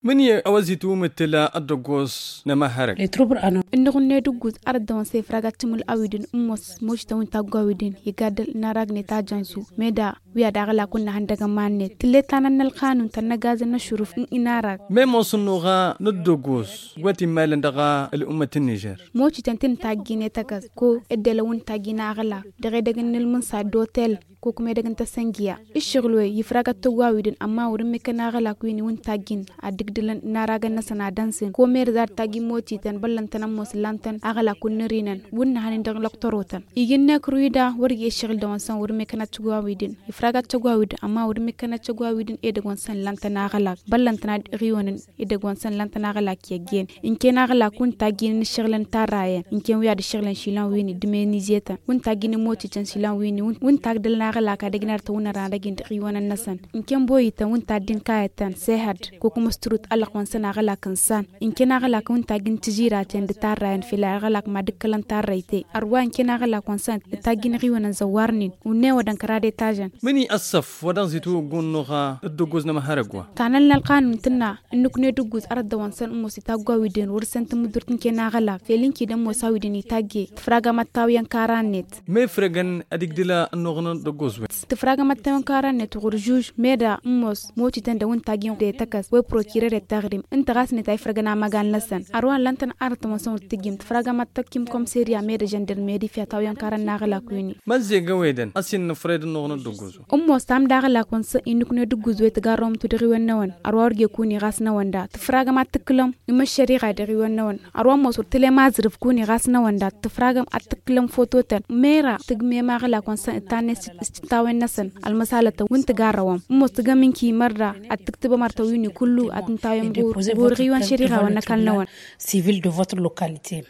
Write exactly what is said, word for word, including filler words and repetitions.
Mǝnǝyăɣ a-wa zi-tǝwǝmǝttǝl ăddăggoẓ n-emăhhărăg. Ǝnnăɣ-net ǝgguz arăt dăɣ-wăn s-efrag ad-tǝmǝl a-wi-dǝn ǝmmos moci-tăn wi n-tagg wa-wi-dǝn iga dd-naragnăt ajăn-su meda wi ad-aɣǝlak wǝnnăhăn dăɣ-iman-net tǝllet ta n-ănnălxanun ta n-ăgazăn n-ăššurǝf n-inarag. Memos ǝnnuɣa n-ăddăggoẓ wa t-immalăn dăɣ-ăl'ummăt n-nižer. Moci-tăn ti n-taggi n-etăkăs ko dd-elăn wi n-taggi n-aɣǝlak dăɣ-edăgg n-inǝlmǝnsa d-otel ko kǝm edăgg n-tăsăngiya. Ǝššăɣǝl-wen ifrag ad-tăgg wa-wi-dǝn ămma wăr-ǝmmǝkăn aɣǝlak wi n-wi n-taggi-n ad-dd-ǝgdǝlăn n-aragăn-năsăn ad-ănsǝn ko merǝz ad-taggi n-moci-tăn băllăn-tăn ămoos ǝllan-tăn aɣǝlak wǝnnăr-inăn wǝnnăhăn-in dăɣ-lăqtăro-tăn. Iji n-ekru-i da wăr-ija ǝššăɣǝl dăɣ-wăn săn wăr-ǝmmǝkăn ad-tăgg wa-wi-dǝn ifrag ad-tăgg wa-wi-dǝn ămma wăr-ǝmmǝkăn ad-tăgg wa-wi-dăn edăgg-wăn săn ǝllan-tăn aɣǝlak băllăn-tăn ad-ɣiwănăn edăgg-wăn săn ǝllan-tăn aɣǝlak i-ăjjeen. Ǝnken aɣǝlak wi n-taggi n-inǝššăɣǝlăn tarrayăn ǝnken wi ad-ǝššăɣǝlăn išilan wi n-dd-menizye-tăn wi n-taggi n-imotităn išilan wi n-wi n-tagdălăn aɣǝlak ad-ăjnar-tăn wǝnnărăn ad-ăjin dăɣ-iwănăn-năsăn. Ǝnken boyităn wi n-taddi n-kayăt-tăn sehăd ko kǝm s-tărut ăllăɣ-wăn săn aɣǝlak n-san ǝnken aɣǝlak wi n-taggi n-tižiraten d-tarrayăn fel aɣǝlak mad-ǝkkălăn tarrăyte. Ărwa ǝnken aɣǝlak-wăn săn d-taggi n-iɣiwănăn zăwwarnen wǝnne wădăn kăradet ažăn. Mǝni ăssăf wa dăɣ-zitwǝggun n-oɣa d-ăggoz n-amăhărăg wa. Tanăl n-ălqanun tǝnna ǝnnǝkne d-ǝgguz arăt dăɣ-wăn săn ǝmmos itaggwa wi-dǝn wăr-săn tǝmmǝdurt n-ken aɣǝlak fel ǝnki d-ămmos a-wi-dǝn itagge tǝfragăm ad-tawǝyăn kara-net. Ma ifrăgăn ad-igdǝl ănnuɣăn d-ăggoz-wen. Tǝfragăm ad-tawǝyăn kara-net ɣur-žuž meda ǝmmos motităn dăɣ-wi n-taggi n-tăkăs wa i-prokirer i-taɣrim ǝnta ɣas net a ifrăgăn amăgal-năsăn. Ărwa ǝllan-tăn arăt dăɣ-wăn săn wăr t-tǝjjǝm tǝfragăm ad-tăkkim komserya meda žăndărmeri fiyăt a tawǝyăn kara n-aɣǝlak wi-ni. Măzzeg ăwedăn ăsinăfrăy d-ănnuɣăn d-ăggoz-wen. Ǝmmos tamda aɣǝlak-wăn s-inǝkne d-ǝggǝzwe tǝgarrăwăm-tu dăɣ-iwăn-năwăn. Ărwa wăr ge-kuni ɣas n-ăwănda tǝfragăm ad-tǝkkǝlăm imăššăriɣa dăɣ-iwăn-năwăn. Ărwa ămmos wăr tǝlem aẓrǝf kuni ɣas n-ăwănda tǝfragăm ad-tǝkkǝlăm foto-tăn mera tǝgmem aɣǝlak-wăn s-tănnet s-tǝntawen-năsăn. Ălmăsalătăn wi n-tǝgarrăwăm ǝmmos tǝgăm ǝnki mărra ad-tǝktǝbăm artăn wi n-ikullu ad-tǝntawen ɣur-ɣur-iwăn šăriɣa wa n-ăkall-năwăn. Civil de votre localité.